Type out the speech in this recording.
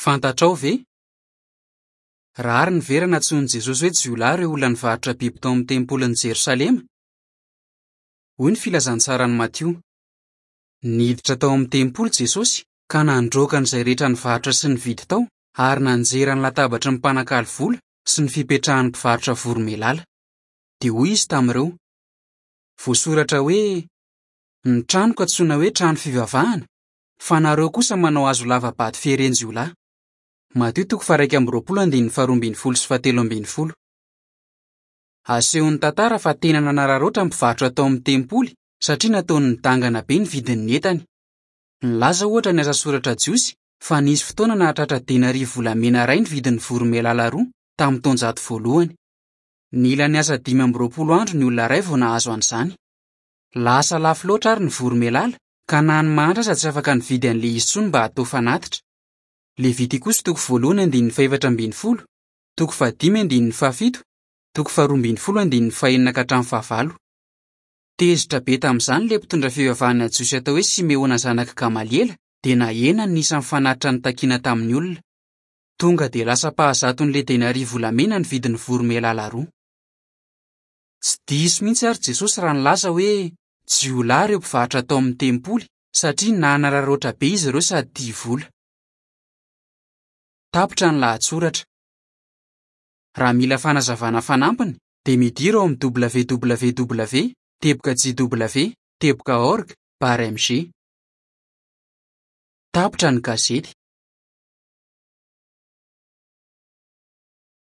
Fantatrao ve? Rariny ve raha nantsoin'i Jesosy hoe jiolahy ireo olona nivarotra biby tao amin'ny tempolin'i Jerosalema? Hoy ny Filazantsaran'i Matio, Niditra tao amin'ny tempoly Jesosy ka nandroaka an'izay rehetra nivarotra sy nividy tao ary nanjera ny latabatry ny mpanakalo vola sy ny fipetrahan'ny mpivarotra voromailala. Dia hoy izy tamin'ireo, Voasoratra hoe, 'Ny tranoko antsoina hoe trano fivavahana', fa nareo kosa manao hazo lava-bato fieren-jiolahy. Matio toko faha-21 andininy faha-12 sy faha-13. Asehon'ny tantara fa tena nanararaotra ny mpivarotra tao amin'ny tempoly satria nataony nidangana be ny vidin'ny entany. Nilaza ohatra ny asa soratra jiosy fa nisy fotoana nahatratra denaria volamena iray ny vidin'ny voromailala roa tamin'ny taonjato voalohany. Nila niasa 25 andro ny olona iray vao nahazo an'izany. Lasa lafo loatra àry ny voromailala ka na ny mahantra aza tsy afaka nividy an'ilay izy intsony mba hatao fanatitra. Levitikosy toko voalohany andininy faha-14, toko fahadimy andininy fahafito, toko faha-12 andininy fahenina ka hatramin'ny fahavalo. Tezitra be tamin'izany ilay mpitondra fivavahana jiosy atao hoe Simeona zanak'i Gamaliela dia nahena ny isan'ny fanatitra notakina tamin'ny olona. Tonga dia lasa ampahazaton'ilay denaria volamena ny vidin'ny voromailala roa. Tsy diso mihitsy àry Jesosy raha nilaza hoe jiolahy ireo mpivarotra tao amin'ny tempoly satria nanararaotra be izy ireo sady tia vola. Tapitra ny lahatsoratra. Raha mila fanazavana fanampiny dia midira ao amin'ny www teboka jw teboka org barre mg. Tapitra ny gazety.